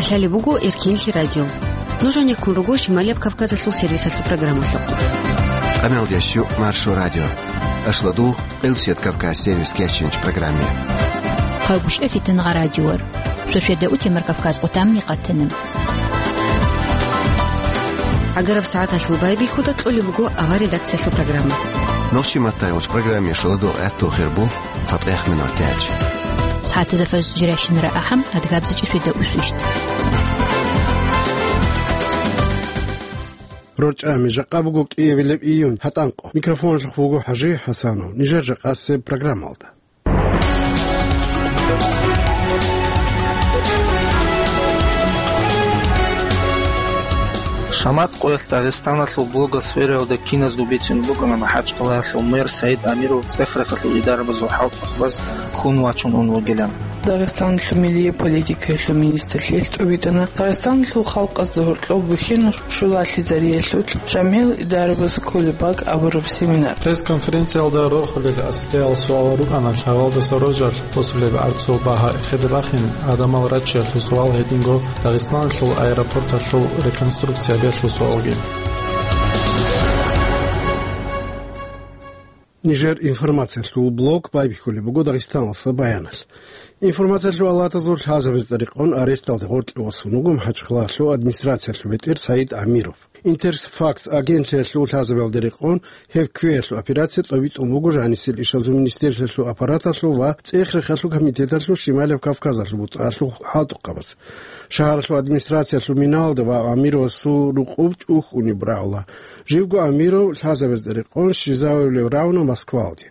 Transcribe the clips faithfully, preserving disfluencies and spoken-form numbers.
Талеб буго Эркинлъи радио. Нуж гьанеккун руго Шималияб Кавказалъул сервисалъул программалъухъ. Къамел дящу Маршо радио. Ашладугъ, Къилсият Кавказ сервис кечинч программе. Хъагушев Фитнагъа радиор. Шошеда утемар Кавказ къутамни къатана. Агараб сагӀаталъул байбихьуда кьолеб буго авар редакциялъул программа. Нохчи маттай уч программе шоладугъ гӀатту хирбу. ЦатӀех минут тяч. СагӀатазда фажр жирашинара ахӀам, адгабзичӀи шведа усвищ. РорчӀами жакъа буго кӀиабилеб июнь, гьатӀанкъо. Микрофонлъухъ вуго ХӀажи ХӀасанов. Нижер жакъасеб программалда. Шамат къоялъ Дагъистаналъул блогосфераялда киназго бицун букӀана МахӀачхъалаялъул мэр Саид Амиров цӀех-рехалъул идарабазул хӀалтӀухъбаз хун вачун ун вугилан. Дагъистаналъул милияб политикаялъул министрлъи тӀубитӀана Дагъистаналъул халкъазда гьоркьоб бухьинал щулалъизариялъул жамгӀиял идарабаз кколеб бакӀ абураб семинар. Пресс-конференциялда рорхулел аслиял суал рукӀана лъагӀалдаса рожал босулеб арцул багьа эхеде бахин, гӀадамал раччиялъул суал гьединго Дагъистаналъул аэропорталъул реконструкция берлъул суалги. Нижер информациялъул блок байбихьулеб буго Дагъистаналъа баяналъ. Информациялъул алатазул лъазабазда рекъон аресталде гъоркье васун вуго МахӀачхъалалъул администрациялъул бетӀер Саид Амиров. Интерфакс агентлъиялъул лъазабалде рекъон гьеб квеялъул операция тӀобитӀун буго жанисел ишазул министерствоялъул аппараталъул ва цӀех-рехалъул комитеталъул Шималияб Кавказалъул бутӀалъул хӀалтӀухъабаз. Шагьаралъул администрациялъул миналда ва Амировасул рукъуб чӀухьуниб рагӀула. Живго Амиров лъазабазда рекъон щвезавулев рагӀуна Москвалде.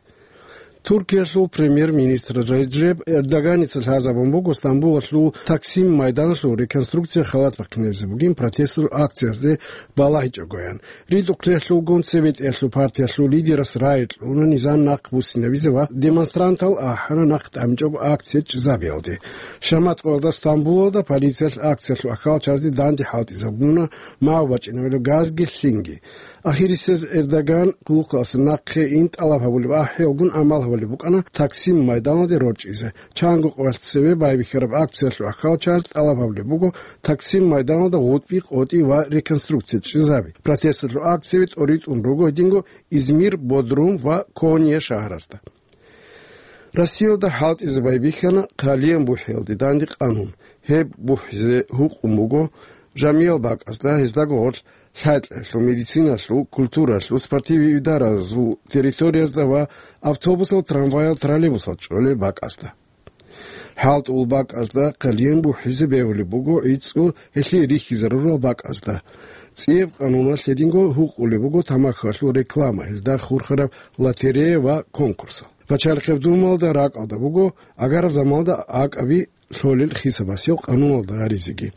Туркиялъул премьер-министр Реджеп Эрдоганица лъазабун буго Стамбулалъул Таксим майданалъул реконструкция халат бахъинабизе бугин протесталъул акциязде балагьичӀогоян. РитӀухълъиялъулгун цебетӀиялъул партиялъул лидерас рагӀи кьуна низам нахъ буссинабизе ва демонстрантал ахӀана нахъ тӀамичӀого акция чӀезабиялде. Шамат къоялда Стамбулалда полициялъ акциялъул ахьалчазде данде хӀалтӀизабуна мав бачӀинабилеб газги лъинги. Ахирисез Эрдоган къуллукъалъе нахъе ин тӀалаб гьабулеб ахӀи гьелгун гӀамал гьабулеб букӀана Таксим майданалде рорчӀизе. Чанго къоялъ цеве байбихьараб акциялъул ахьалчаз тӀалаб гьабулеб буго Таксим майданалда гъутӀби къотӀи ва реконструкция чӀезаби. Протесталъул акцияби тӀоритӀун руго гьединго Измир, Бодрум ва Конья шагьаразда. Россиялда хӀалтӀизе байбихьана Хъалиян бухӀиялде данде къанун. Гьеб бухӀизе гьукъун буго жамиял бакӀазда, гьездаго гъорлъ лъай-кьеялъул, медициналъул, культуралъул, спортив-идаразул территориязда ва автобусал, трамваял, троллейбусал чӀолеб бакӀазда. ХӀалтӀул бакӀазда Хъалиян бухӀизе бегьулеб буго гӀицӀго гьелъие рихьизарурал бакӀазда. ЦӀияб къануналъ гьединго гьукъулеб буго тамахьалъул реклама, гьелда хурхараб лотерея ва конкурсал. Пачалихъеб Думалда ракӀалда буго агараб заманалда акӀаби лъолел хисабасел къануналда гьаризеги.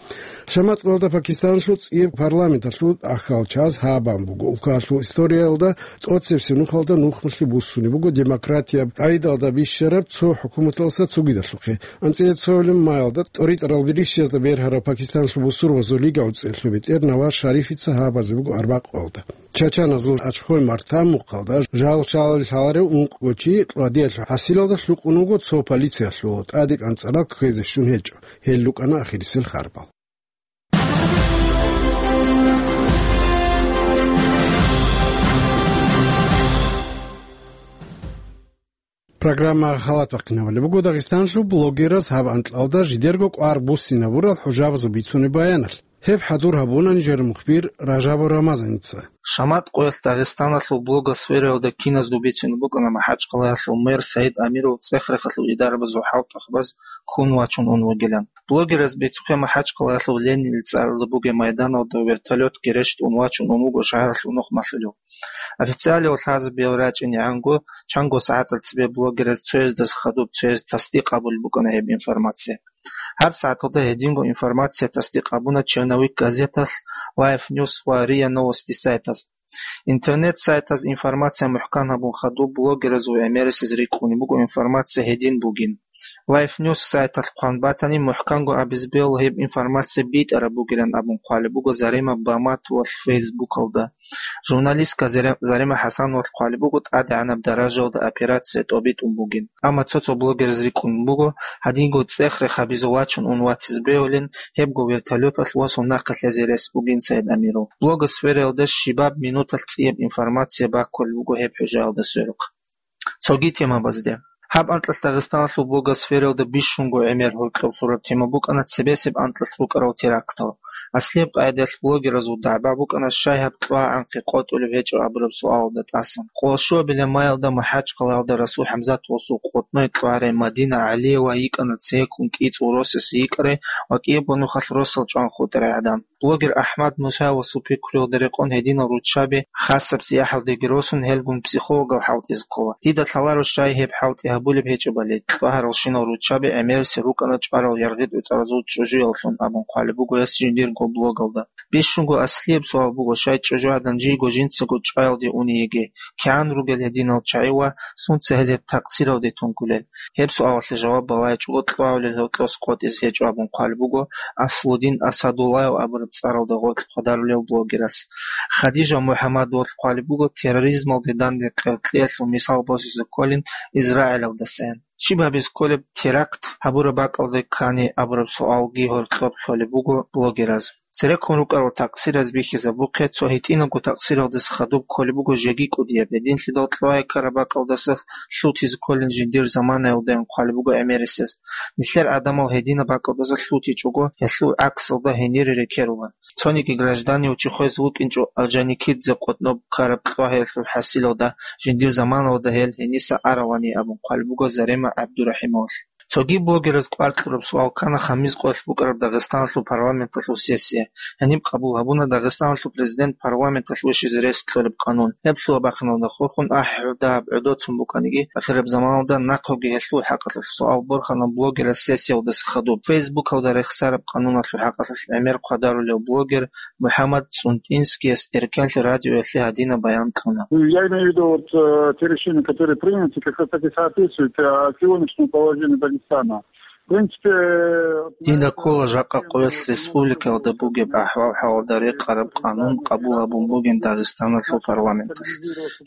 Шамат къоялда Пакистаналъул цӀияб парламенталъул ахьалчаз гьабун буго улкаялъул историялда тӀоцебесеб нухалда нухмалъи буссунеб буго демократияб гӀайдалда бищараб цо хӀукуматалдаса цогидалъухъе. АнцӀила цоялъул маялда тӀоритӀарал бирисиязда бергьараб Пакистаналъул бусурбабазул лиги гӀуцӀиялъул бетӀер Наваз Шарифица гьабизе буго арбакъоялда. Чачаназул ачхой марта мухъалда жал-шалал лъаларев ункъго чи кьвадиялъул хӀасилалда лъукъун вуго цо полициялъул тӀаде кӀанцӀарал кквезе щун гьечӀо. Гьел рукӀана ахирисел харбал. Программа халат бахъинабулеб буго Дагъистаналъул блогераз гьаб анкьалда жидерго кӀвар буссинабурал хӀужабазул бицунеб баяналъ. Гьеб хӀадур гьабуна нижер мухбир Ражабов Рамазаница. Шамат къоялъ Дагъистаналъул блогосфераялда киназго бицун букӀана МахӀачхъалаялъул мэр Саид Амиров цӀех-рехалъул идарабазул хӀалтӀухъбаз хун вачун ун вугилан. Блогераз бицухъе МахӀачхъалаялъул Ленинил цӀаралда бугеб майданалда вертолетги рещтӀун вачун ун вуго шагьаралъул нухмалъулев. Официалиял лъазабиял рачӀинегӀанго, чанго сагӀатал цебе блогераз цояздаса хадуб цояз тасдикъ гьабулеб букӀана гьеб информация. ГьабсагӀаталда гьединго информация тасдикъ гьабуна «Черновик» газеталъ, Life News ва РИА Новости сайтаз. Интернет-сайтаз информация мухӀкан гьабун хадуб блогеразул гӀемерисез рикӀкӀунеб буго информация гьедин бугин. Life News сайталъ хъван батани, мухӀканго абизе бегьула гьеб информация битӀараб бугилан абун хъвалеб буго Зарима Баматовалъ Фейсбукалда. Журналистка Заре-, Зарима ХӀасановалъ хъвалеб буго тӀадегӀанаб даражаялда операция тӀобитӀун бугин. Амма цо-цо блогераз рикӀкӀун буго, гьадинго цӀех-рех гьабизе вачун ун ватизе бегьулин, гьебго вертолеталъ восун нахъе лъезе рес бугин Саид Амиров. Блогосфераялда щибаб минуталъ цӀияб информация баккулеб буго гьеб хӀужаялда сверухъ. Цоги темабазде. Гьаб анкьалъ Дагъистаналъул блогосфераялда бищунго гӀемер гьоркьоб лъураб тема букӀана цебесеб анкьалъ рукӀарал терактал. Аслияб къагӀидаялъ блогеразул дагӀба букӀана щай гьаб кьвагӀанхъе къотӀулеб гьечӀо абураб суалалда тӀасан. Къоло щуабилеб майалда МахӀачхъалаялда Расул ХӀамзатовасул къотӀной кьвагӀарай Мадина ГӀалиева йикӀана цейккун кӀицӀул росасе йикӀарай ва кӀиябго нухалъ росал чӀван хутӀарай гӀадан. Блогер АхӀмад Мусаевасул пикруялда рекъон гьединал руччаби хасаб сияхӀалдеги росун, гьелгун психологал хӀалтӀизе ккола. Дида лъаларо щай гьеб хӀалтӀи гьабулеб гьечӀебали, кьвагьаралщинал руччаби гӀемерисел рукӀана чӀварал яргъи-тӀуцӀаразул чӀужуяллъун абун хъвалеб буго гьес жиндирго блогалда. Бищунго аслияб суал буго, щай чӀужугӀадан жийго жинцаго чӀваялде уни йиги, кигӀан ругел гьединал чагӀи ва сунца гьел гьеб такъсиралде тункулел? Гьеб суалалъе жаваб балайчӀого кьвагӀулел гьоркьос къотӀизе гьечӀо абун хъвалеб буго Аслудин Асадуллаев абураб цӀаралда гъоркь хъвадарулев блогерас. Хадижа МухӀаммадовалъ хъвалеб буго терроризмалде данде къеркьеялъул мисал босизе кколин Израилалдасаян. Щиб гьабизе кколеб теракт гьабураб бакӀалде ккани абураб суалги гьоркьоб лъолеб буго блогераз. Цереккун рукӀарал такъсираз бихьизабухъе, цо гьитӀинабго такъсиралдаса хадуб кколеб буго жеги кӀудияб, гьединлъидал кьвагӀи ккараб бакӀалдаса лъутизе кколин жиндир заманаялдаян хъвалеб буго гӀемерисез. Нилъер гӀадамал гьединаб бакӀалдаса лъутичӀого, гьелъул гӀаксалда гьенире рекерулан. Цониги гражданияв чи хвезе вукӀинчӀо Орджоникидзе къотӀноб ккараб кьвагӀиялъул хӀасилалда, жиндир заманалда гьел гьениса аравани абун хъвалеб буго Зарема ГӀабдурахӀимовалъ. Цоги блогераз кӀвар кьураб суал ккана хамиз къоялъ букӀараб Дагъистаналъул парламенталъул сессия. Гьаниб къабул гьабуна Дагъистаналъул президент парламенталъ вищизе рес кьолеб къанун. Гьеб лъугьа бахъиналда хурхун ахӀи-гӀурда гьаб гӀодоцун букӀаниги, ахираб заманалда нахъеги гьелъул хӀакъалъулъ суал борхана блогераз сессиялдаса хадуб. Фейсбукалда рехсараб къануналъул хӀакъалъулъ гӀемер хъвадарулев блогер МухӀаммад ЦӀунтӀинскияс Эркенлъи радиоялъе гьадинаб баян кьуна. Я имею в виду, вот, э, те решения, которые приняты, как раз таки соответствуют, э, сегодняшнему положению Дагестана. В принципе, вот, Дида ккола жакъа къоялъ республикаялда бугеб ахӀвал-хӀалалда рекъараб къанун къабул гьабун бугин Дагъистаналъул парламенталъ.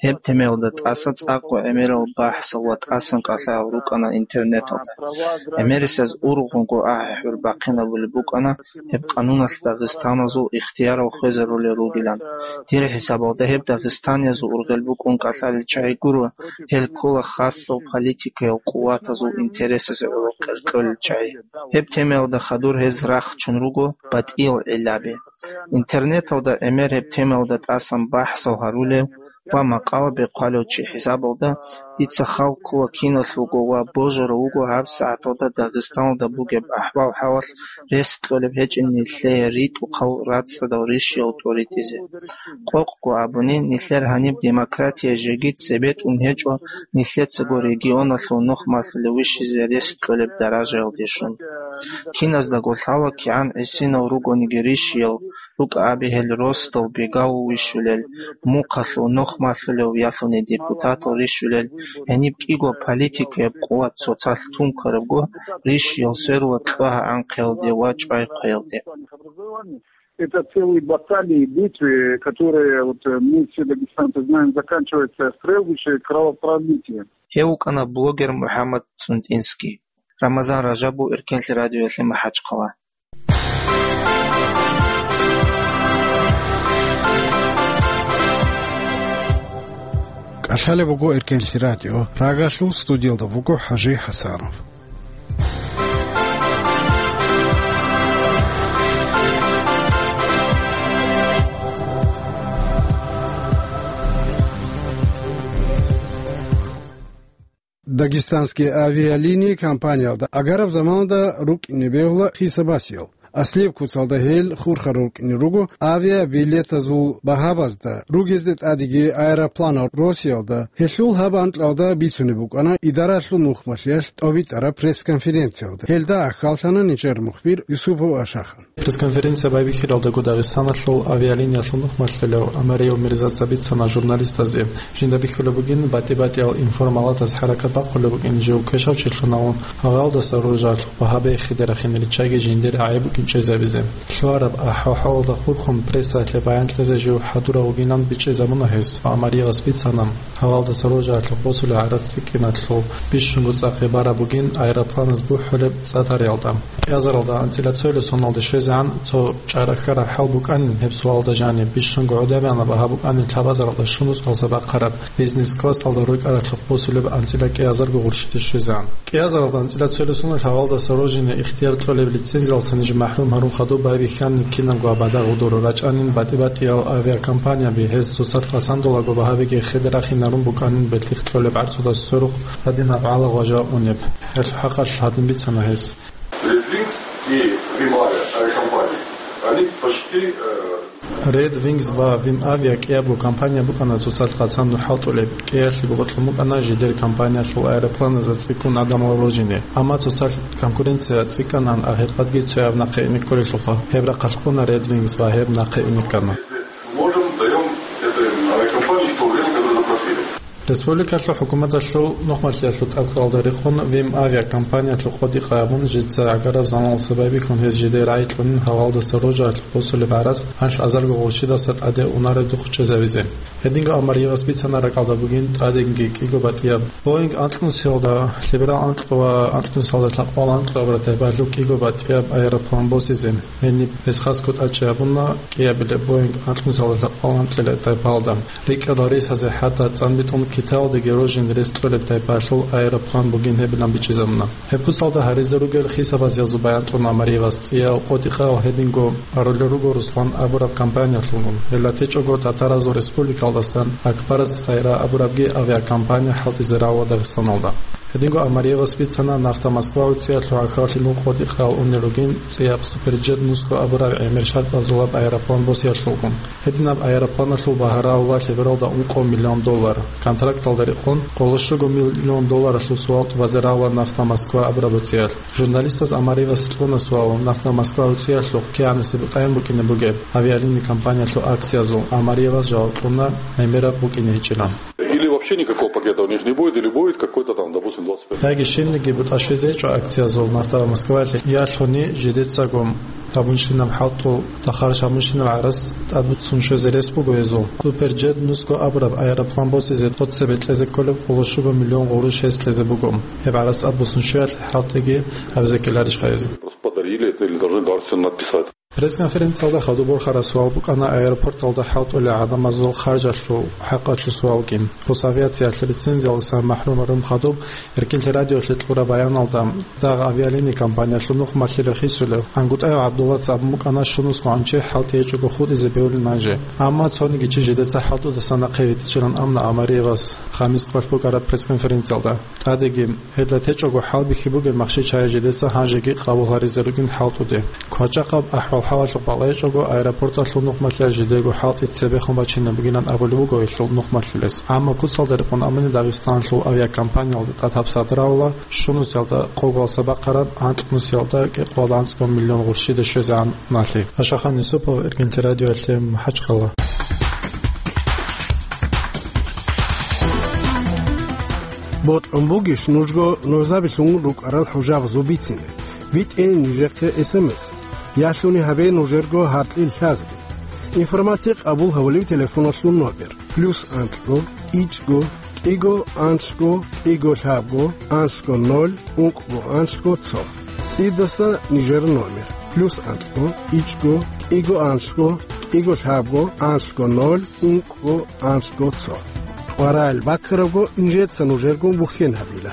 Гьеб темаялда тӀаса цӀакъго гӀемерал бахӀсал ва тӀасан кӀалъаял рукӀана интернеталда. ГӀемерисез ургъунго ахӀи-гӀур бахъинабулеб букӀана, гьеб къануналъ дагъистаназул ихтиярал хвезарулел ругилан. Дир хӀисабалда гьеб дагъистаниязул ургъел букӀун кӀалъалел чагӀи гуро, гьел ккола хасал политикаял къуватазул интересазе гӀоло къеркьолел чагӀи. Гьеб темаялда хадур гьез рахчун руго батӀиял гӀиллаби. Интернеталда гӀемер гьеб темаялда тӀасан бахӀсал гьарулев ва макъала бехъвалев чи хӀисабалда, дица хал ккола киналъулго ва божарав вуго гьаб сагӀаталда Дагъистаналда бугеб ахӀвал-хӀалалъ рес кьолеб гьечӀин нилъее ритӀухъал рацӀцӀадал ришиял тӀоритӀизе. Къокъго абуни, нилъер гьаниб демократия жеги цебетӀун гьечӀо, нилъецаго регионалъул нухмалъулев вищизе рес кьолеб даражаялде щун. Киназдаго лъала кигӀан гӀисинал ругониги ришиял, рукӀа абе гьел росдал бегав вищулел, мухъалъул нухмалъулев ялъуни депутатал рищулел, гьениб кӀиго политикаяб къуват цоцалъ тункарабго, ришиял сверула кьвагьа анхъиялде ва чӀвай хъвеялде. Это целые баталии, битвы, которые, вот, э, мы все дагестанцы знаем, заканчиваются стрельбищем и кровопролитием. Гьев вукӀана блогер МухӀаммад ЦӀунтӀинский. Рамазан Ражабов, Эркенлъи радиоялъе, МахӀачхъала. КӀалъалеб буго Эркенлъи радио. Прагалъул студиялда вуго ХӀажи ХӀасанов. Дагестанские авиалинии компаниялда агараб заманалда рукӀине бегьула хисабасиял. Аслияб куцалда гьел хурхарал рукӀине руго авиабилетазул багьабазда, ругезда тӀадеги аэропланал росиялда. Гьелъул гьаб анкьалда бицунеб букӀана идаралъул нухмалъиялъ тӀобитӀараб пресс-конференциялда. Гьелда ахьаллъана нижер мухбир Юсупов Ашахан. Пресс-конференция байбихьаралдаго Дагъистаналъул авиалиниялъул нухмалъулев Амариев Мирзаца бицана журналистазе. Жинда бихьулеб бугин, батӀи-батӀиял информалатаз хӀаракат бахъулеб букӀин жив квешав чилъун авун, гьавалдаса роржаралъухъ багьа бехиде рахине риччаги жиндир гӀайиб букӀин чӀезабизе. Лъугьараб ахӀвал-хӀалалда хурхун прессаялъе баян кьезе жив хӀадурав вугилан бичӀчӀизабуна гьес ва Амариевас бицана, гьавалдаса роржаралъухъ босулеб гӀарац цӀикӀкӀиналъул бищунго цӀакъ гьеб бараб бугин аэропланаз бухӀулеб цӀатариялда. Кьиазаралда анцӀила цоялъ соналде щвезегӀан цо чӀарахьараб хӀал букӀанин гьеб суалда жаниб, бищунго гӀодобегӀанаб багьа букӀанин лъабазаралда щунусго гьалса бахъараб бизнес-классалда рукӀаралъухъ босулеб анцӀила кӀиазарго гъурщиде щвезегӀан. КӀиазаралда анцӀила цоялъ соналъ гьавалдаса роржине ихтияр кьолеб лицензиялдаса ниж махӀрум гьарун хадуб байбихьанин кинабго абада гъудур рачӀанин батӀи-батӀиял авиакомпанияби гьез цоцалъ хъасан долаго багьабиги хеде рахинарун букӀанин белъихъ кьолеб гӀарцудас сверухъ гьадинаб гӀалагъважа унеб. Гьелъул хӀакъалъ гьадин бицана гьес. Red Wings и Вимавиа авиакомпании, они почти, э, Red Wings ва Вимавиа кӀиябго компания букӀана цоцалъ хъасан хӀалтӀулеб, кӀиялъе бокьун букӀана жидер компаниялъул аэропланазда цӀикӀкӀун гӀадамал роржине, амма цоцалъ конкуренция цӀикӀкӀанан ахиркъадги цояб нахъе ине кколелъулха. Гьеб рахъалъ ккуна Red Wings ва гьеб нахъе ине ккана. Можем, даём этой авиакомпании то время, которое запросили. Республикалъул хӀукуматалъул нухмалъиялъул тӀадкъоялда рекъон Вим авиакомпаниялъул къотӀи-къай абун, жеца гӀагараб заманалъа байбихьун гьез жидее рагӀи кьунин гьавалдаса роржаралъухъ босулеб гӀарац анлъазарго гъурщидаса тӀаде унареб духъ чӀезавизе. Гьединго Амариевас бицана ракӀалда бугин тӀадегӀанги кӀиго батӀияб Боинг анкьнусиялда, лъеберал анкьго ва анкьнусиялда лъабкъоялда анкьго абураб тайпаялъул кӀиго батӀияб аэроплан босизе. Гьениб гьез хасго тӀадчӀей гьабуна кӀиабилеб Боинг анкьнусиялда лъабкъоялда анкьилеб тайпаялда. РикӀкӀад гьарисазе хӀатта цӀан битӀун Китаялдеги рожин рес кьолеб тайпаялъул аэроплан бугин гьебилан бичӀчӀизабуна. Гьеб куцалда гьаризе ругел хисабазул баян кьуна Амариевас цӀиял къотӀи-къаял гьединго гьарулел руго Руслан абураб компаниялъулгун. Гьелда течӀого Татаразул республикалдасан Акбарас Сайра абурабги авиакомпания хӀалтӀизе равула Дагъистаналда. Гьединго Амариевас бицана, Нафта Москва гӀуцӀиялъул гӀахьаллъи нух къотӀи-къаял унел ругин цӀияб Суперджет нусго абураб гӀемер шартӀазулаб аэроплан босиялъулгун. Гьединаб аэропланалъул багьа равула лъебералда ункъо миллион доллар. Контракталда рекъон къоло щуго миллион долларалъул суал тӀубазе равула Нафта Москва абураб гӀуцӀиялъ. Журналистаз Амариевасе кьуна суал, Нафта Москва гӀуцӀиялъухъ кигӀанасеб бутӀайин букӀине бугеб авиалини компаниялъул акциязул. Амариевас жаваб кьуна, гӀемераб букӀине гьечӀилан. Или вообще никакого пакета у них не будет, или будет какой-то там, допустим, двадцать пять. Яги щибниги бутӀа щвезе гьечӀо акциязул Нафта Москваялъе, ялъуни жидецаго гьабунщинаб хӀалтӀул, дахъарщ гьабунщинаб гӀарац тӀадбуцун щвезе рес буго гьезул. Суперджет нусго абураб аэроплан босизе тӀоцебе кьезе кколеб къоло щуго миллион гъурущ гьес кьезе буго. Гьеб гӀарац тӀадбуссун щвеялъе хӀалтӀиги гьабизе ккеларищха гьез? Просто подарили это или должны дарственную надписать. Пресс-конференциялда хадуб борхараб суал букӀана аэропорталда хӀалтӀулел гӀадамазул харжалъул хӀакъалъулъ суалги. Росавиациялъ лицензиялдасан махӀрум гьарун хадуб Эркинлъи радиоялъе кьураб баяналда, дагъ авиалини компаниялъул нухмалъи рахисулев ГӀангутӀаев ГӀабдуллаца абун букӀана, щунусго гӀанчи хӀалтӀи гьечӀого хутӀизе бегьулин гьанже. Амма цониги чи жидеца хӀалтӀудаса нахъе витӀичӀилан абуна Амариевас хамис къоялъ букӀараб пресс-конференциялда. ТӀадеги, гьелда течӀого хӀалбихьи бугеб махщел-чагӀи жидеца гьанжеги къабул гьаризе ругин хӀалтӀуде. КвачӀахъаб ахӀвал-хӀалалъухъ балагьичӀого аэропорталъул нухмалъиялъ жидего хӀалтӀи цебехун бачине бугилан абулеб буго гьелъул нухмалъулес. Амма куцалда рекъон абуни Дагъистаналъул авиакомпаниялда тӀад гьабсагӀат равула щунусиялда къого гьалса бахъараб анкьнусиялда кӀикъоялда анцӀго миллион гъурщиде щвезегӀан уналъи. Ашахан Юсупов, Эркинлъи радиоялъе, МахӀачхъала. Бокьунбугищ нужго нужзабилъун рукӀарал хӀужабазул бицине? ВитӀе нижехъе эс эм эс. Ялъуни гьабе нужерго гьаркьил лъазги. Информация къабул гьавулев телефоналъул номер: плюс анлъго, ичӀго, кӀиго, анлъго, кӀиго, лъабго, анлъго, ноль, ункъго, анлъго, цо. ЦӀидаса нижер номер: плюс анлъго, ичӀго, кӀиго, анлъго, кӀиго, лъабго, анлъго, ноль, ункъго, анлъго, цо. КъваригӀел баккарабго нижеца нужергун бухьен гьабила.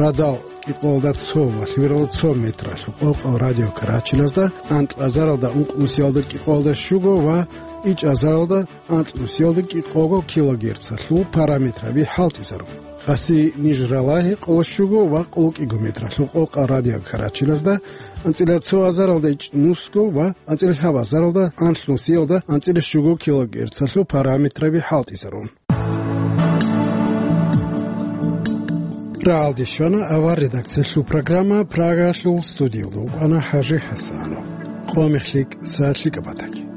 Радал кӀикъоялда цо ва лъимералда цо метралъул къокъал радиокарачиназда, анкьазаралда ункънусиялда кӀикъоялда щуго ва ичӀазаралда анкьнусиялда кӀикъого килогерцалъул параметраби хӀалтӀизарун. Къаси Нижралагьи къоло щуго ва къоло кӀиго метралъул къокъал радиокарачиназда, анцӀила цо азаралда ичӀнусго ва анцӀила лъабазаралда анлънусиялда анцӀила щуго килогерцалъул параметраби хӀалтӀизарун. Рагьалде щвана авар редакциялъул программа, Прагалъул студиялда вукӀана ХӀажи ХӀасанов. Къо мехлъи кӀиса лъикӀаб батаги.